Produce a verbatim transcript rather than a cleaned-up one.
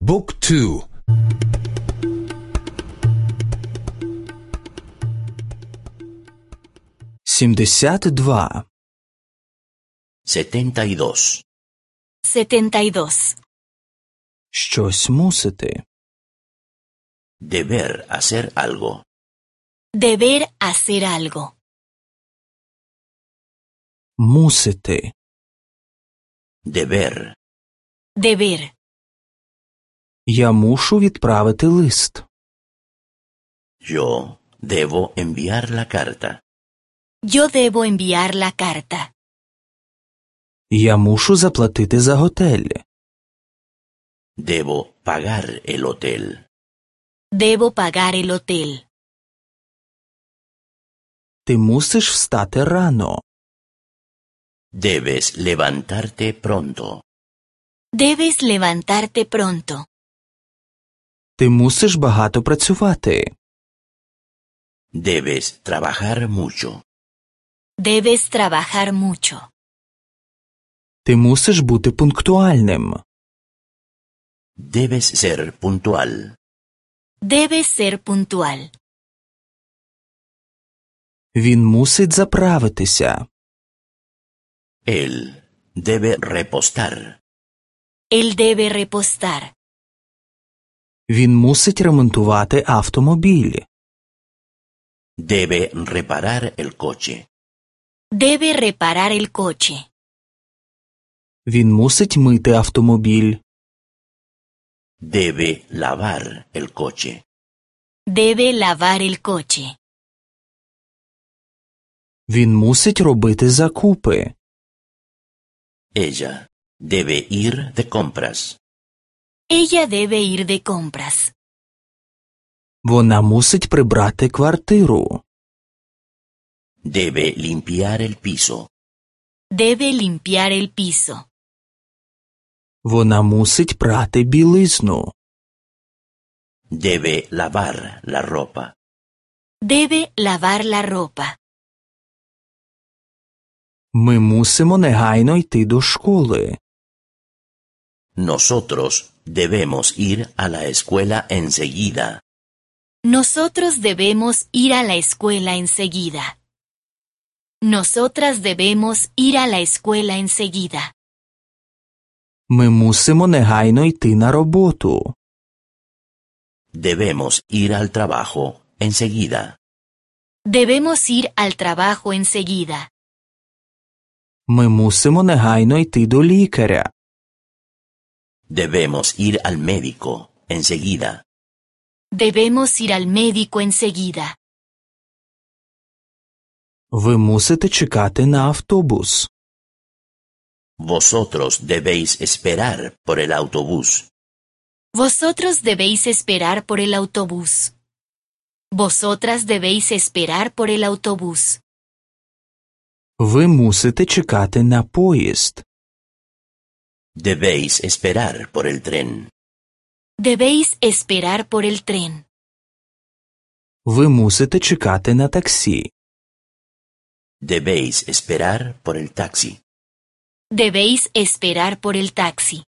บุ๊กทูсімдесят два setenta y dos. setenta y dos. Щось мусити. Deber hacer algo. Deber hacer algo. Мусити. Deber. Deber. Я мушу відправити лист. Yo debo enviar la carta. Yo debo enviar la carta. Я мушу заплатити за готель. Debo pagar el hotel. Debo pagar el hotel. Ти мусиш встати рано. Debes levantarte pronto. Debes levantarte pronto. Ти мусиш багато працювати. Debes trabajar mucho. Debes trabajar mucho. Ти мусиш бути пунктуальним. Debes ser puntual. Debes ser puntual. Він мусить заправитися. Él debe repostar. Él debe repostar. Він мусить ремонтувати автомобіль. Debe reparar el coche. Debe reparar el coche. Він мусить мити автомобіль. Debe lavar el coche. Debe lavar el coche. Він мусить робити закупи. Ella debe ir de compras. Ella debe ir de compras. Вона мусить прибрати квартиру. Debe limpiar el piso. Debe limpiar el piso. Вона мусить прати білизну. Debe lavar la ropa. Debe lavar la ropa. Ми мусимо негайно йти до школи. Nosotros debemos ir a la escuela enseguida. Nosotros debemos ir a la escuela enseguida. Nosotras debemos ir a la escuela enseguida. Ми мусимо негайно йти на роботу. Debemos ir al trabajo enseguida. Debemos ir al trabajo enseguida. Ми мусимо негайно йти до лікаря. Debemos ir al médico enseguida. Debemos ir al médico enseguida. Ви мусите чекати на автобус. Vosotros debéis esperar por el autobús. Vosotros debéis esperar por el autobús. Vosotras debéis esperar por el autobús. Ви мусите чекати на поїзд. Debéis esperar por el tren. Debéis esperar por el tren. Ви мусите чекати на таксі. Debéis esperar por el taxi. Debéis esperar por el taxi.